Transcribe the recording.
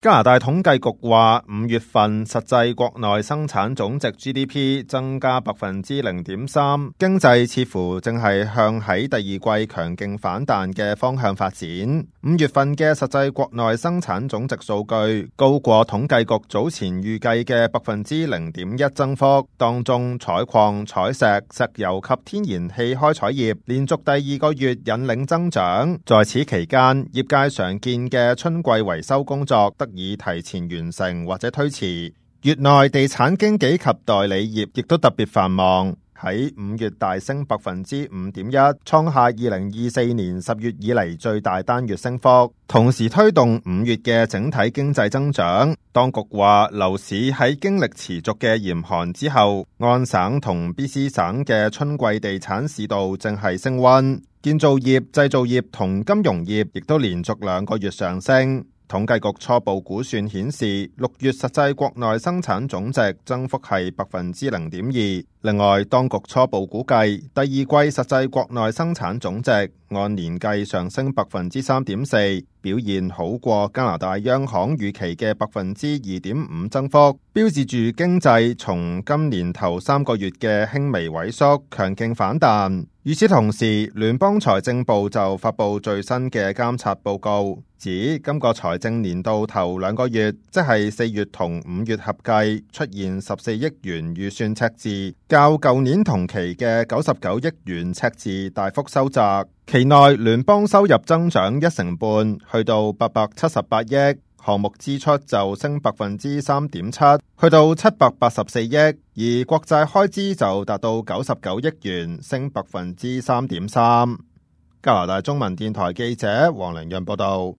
加拿大統計局話，5月份實際國內生產總值 GDP 增加0.3%，經濟似乎正係向喺第二季強勁反彈嘅方向發展。5月份嘅實際國內生產總值數據高過統計局早前預計嘅0.1%增幅，當中採礦、採石、石油及天然氣開採業連續第二個月引領增長。在此期間，業界常見嘅春季維修工作得以提前完成或者推遲。月內地產經紀及代理業亦都特別繁忙，喺5月大升5.1%，創下2024年10月以嚟最大單月升幅，同時推動5月嘅整體經濟增長。當局話，樓市喺經歷持續嘅嚴寒之後，安省同 BC 省嘅春季地產市道正係升溫，建造業、製造業同金融業亦都連續2個月上升。統計局初步估算顯示，6月實際國內生產總值增幅係0.2%。另外，當局初步估計第二季實際國內生產總值按年計上升3.4%，表現好過加拿大央行預期嘅2.5%增幅，標誌住經濟從今年頭3個月嘅輕微萎縮強勁反彈。與此同時，聯邦財政部就發布最新嘅監察報告，指今個財政年度頭2個月，即係4月同5月合計出現14億元預算赤字，較舊年同期嘅99億元赤字大幅收窄。期內聯邦收入增長1成半，去到878億，項目支出就升3.7%，去到784億，而國債開支就達到99億元，升3.3%。加拿大中文電台記者黃良潤報道。